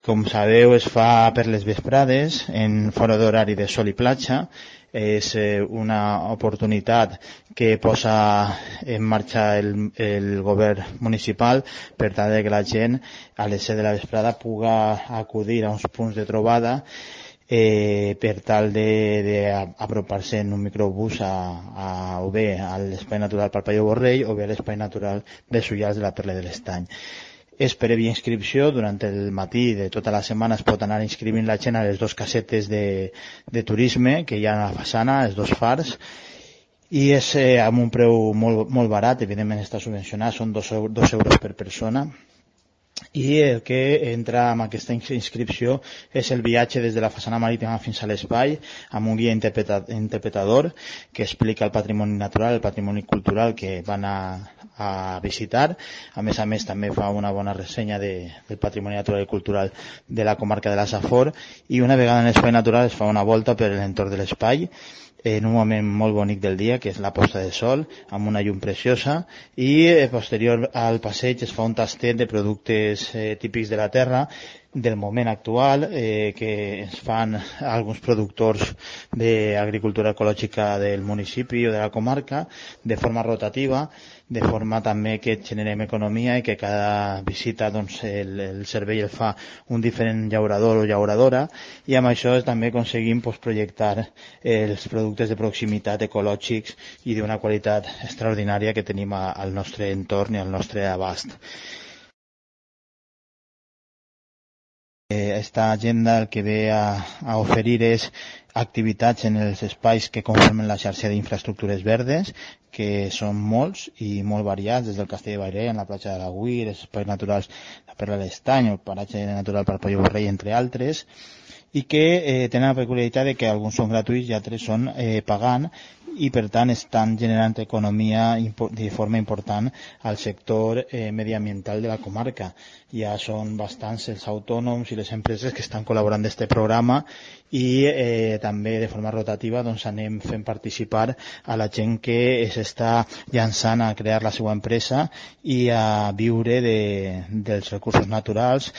Com sabeu, es fa per les vesprades, en fora d'horari de sol i platja. És una oportunitat que posa en marxa el govern municipal per tal que la gent a les 7 de la vesprada puga acudir a uns punts de trobada per tal d'apropar-se en un microbús o bé a l'espai natural Parpalló Borrell o bé a l'espai natural dels Ullals de la Perla de l'Estany. És prèvia inscripció. Durant el matí de tota la setmana es pot anar inscrivint la gent a les dues casetes de turisme que hi ha a la façana, els dos fars, i és amb un preu molt barat. Evidentment està subvencionat, són 2 euros per persona, i el que entra amb aquesta inscripció és el viatge des de la façana marítima fins a l'espai, amb un guia interpretador que explica el patrimoni natural, el patrimoni cultural que van a visitar. A més també fa una bona ressenya del patrimoni natural i cultural de la comarca de la Safor, i una vegada en l'espai natural es fa una volta per l'entorn de l'espai en un moment molt bonic del dia, que és la posta de sol, amb una llum preciosa, i posterior al passeig es fa un tastet de productes típics de la terra del moment actual, que es fan alguns productors d'agricultura ecològica del municipi o de la comarca de forma rotativa, de forma també que generem economia i que cada visita el servei el fa un diferent llaurador o llauradora, i amb això també aconseguim projectar els productes de proximitat ecològics i d'una qualitat extraordinària que tenim al nostre entorn i al nostre abast. Esta agenda el que ve a oferir és activitats en els espais que conformen la xarxa d'infraestructures verdes, que són molts i molt variats, des del Castell de Bairé, en la platja de l'Agüir, els espais naturals la Perla de l'Estany, el paratge natural Parpalló Borrell, entre altres, i que tenen la peculiaritat de que alguns són gratuïts i altres són pagant, i per tant estan generant economia de forma important al sector mediambiental de la comarca. Ja són bastants els autònoms i les empreses que estan col·laborant d'aquest programa, i també de forma rotativa anem fent participar a la gent que s'està llançant a crear la seva empresa i a viure dels recursos naturals